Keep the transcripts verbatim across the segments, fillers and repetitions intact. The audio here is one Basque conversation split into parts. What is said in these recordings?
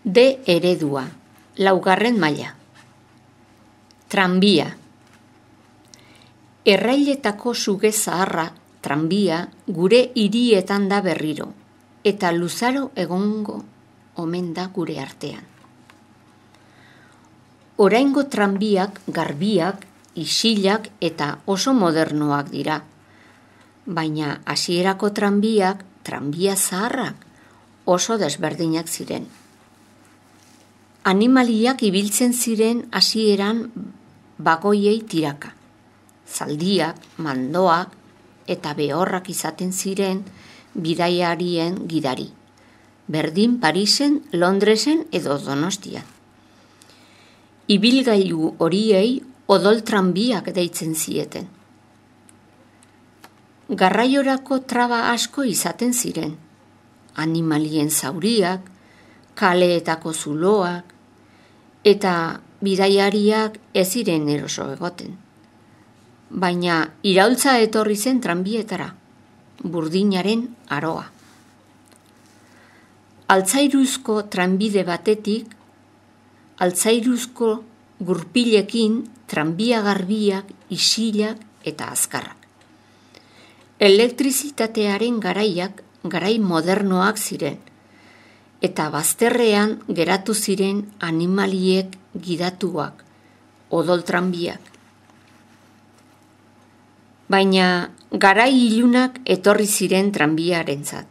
D eredua, laugarren maila. Tranbia. Errailetako suge zaharra, tranbia, gure hirietan da berriro, eta luzaro egongo omen da gure artean. Oraingo tranbiak, garbiak, isilak eta oso modernoak dira, baina hasierako tranbiak, tranbia zaharrak, oso desberdinak ziren. Animaliak ibiltzen ziren hasieran bagoiei tiraka. Zaldiak, mandoak eta behorrak izaten ziren bidaiarien gidari. Berdin Parisen, Londresen edo Donostian. Ibilgailu horiei odol tranbiak deitzen zieten. Garraiorako traba asko izaten ziren. Animalien zauriak, kaleetako zuloak, eta bidaiariak ez ziren eroso egoten. Baina iraultza etorri zen tranbietara, burdinaren aroa. Altzairuzko tranbide batetik, altzairuzko gurpilekin tranbia garbiak, isilak eta azkarrak. Elektrizitatearen garaiak garai modernoak ziren, eta bazterrean geratu ziren animaliek gidatuak, odol tranbiak. Baina garai ilunak etorri ziren tranbiarentzat.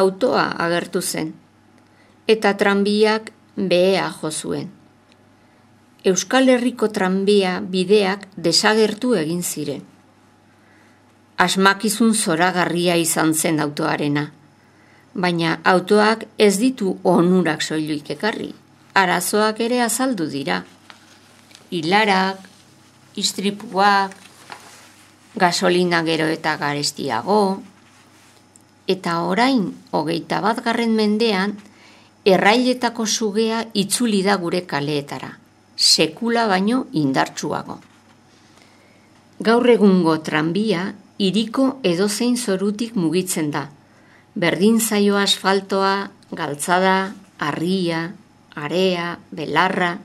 Autoa agertu zen, eta tranbiak behea jo zuen. Euskal Herriko tranbia bideak desagertu egin ziren. Asmakizun zoragarria izan zen autoarena, baina autoak ez ditu onurak soilik ekarri, arazoak ere azaldu dira. Ilarak, istripuak, gasolina gero eta garestiago, eta orain hogeita batgarren mendean errailetako sugea itzuli da gure kaleetara, sekula baino indartsuago. Gaur egungo tranbia hiriko edozein zorutik mugitzen da, berdin zaio asfaltoa, galtzada, harria, area, belarra.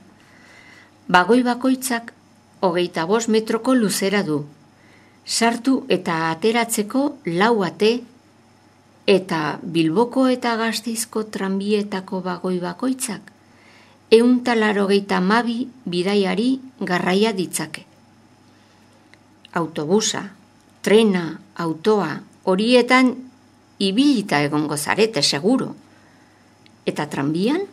Bagoi bakoitzak hogeita bost metroko luzera du, sartu eta ateratzeko lau ate, eta Bilboko eta Gasteizko tranbietako bagoi bakoitzak ehun eta laurogeita hamabi bidaiari garraia ditzake. Autobusa, trena, autoa, horietan ibilita egongo zarete seguro. Eta tranbian?